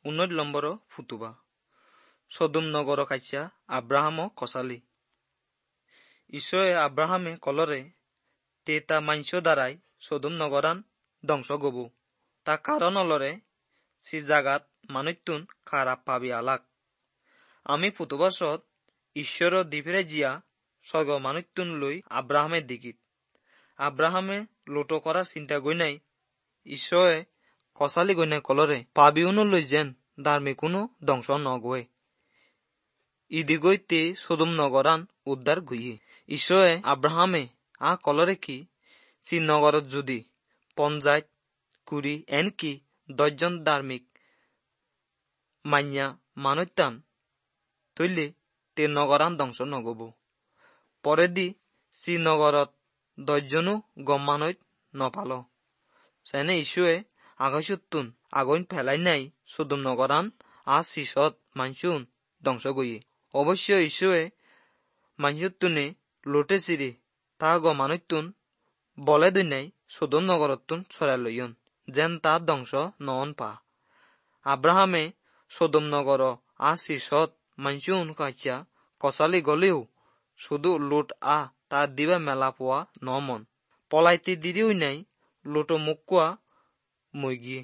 19 number ফুতুবা। সদোম নগৰ কাইচা আব্ৰাহাম কচালি। ঈশ্বৰে আব্ৰাহামে কলৰে তে তা মাংস দ্বাৰাই সদোম নগৰান ধ্বংস গব। তা কাৰণ অলৰে সি জাগাত মানুতুন খাৰাপ পাবি আলাক। আমি ফুতুবাসত ঈশ্বৰ দিফিৰে জিয়া স্বৰ্গ মানুতুন লৈ আব্ৰাহামে দিগিত। আব্ৰাহামে লোটো কৰাৰ চিন্তা গৈ নাই। ঈশ্বৰে কচালি গৈ নাই কলৰে পাবিউনো লৈ যেন ধাৰ্মিকোনো ধ্বংস নগৈ। ইদি গৈ তে সদোম নগৰান উদ্ধাৰ গইয়ে। ঈশ্বৰে আব্ৰাহামে আ কলৰে কি চি নগৰত যদি পঞ্চায়ত 20 এনকি 10জন ধাৰ্মিক মান্যা মানুতান তৈলে তে নগৰান ধ্বংস নগব। পৰেদি চি নগৰত 10জনো গম মানৈত নপাল। চেনে ঈশ্বৰে আকাশতুন আগুন ফেলাই নাই সদোম নগৰান আ চিছত মানসুন ধ্বংস গইয়ে। অৱশ্য ঈশ্বৰে মানসুতুনে লোটে চিৰি তা গ মানুতুন বলে দৈনাই সদোম নগৰতুন চৰাই লয়ন যেন তা ধ্বংস নন পা। আব্ৰাহামে সদোম নগৰ আ চিছত মানসুন কাইচা কচালি গলেও শুধু লোট আ তাৰ দিবা মেলা পোৱা ন মন। পলাইতে দিৰিও নাই লোটো মুখ কোৱা মই গিয়ে।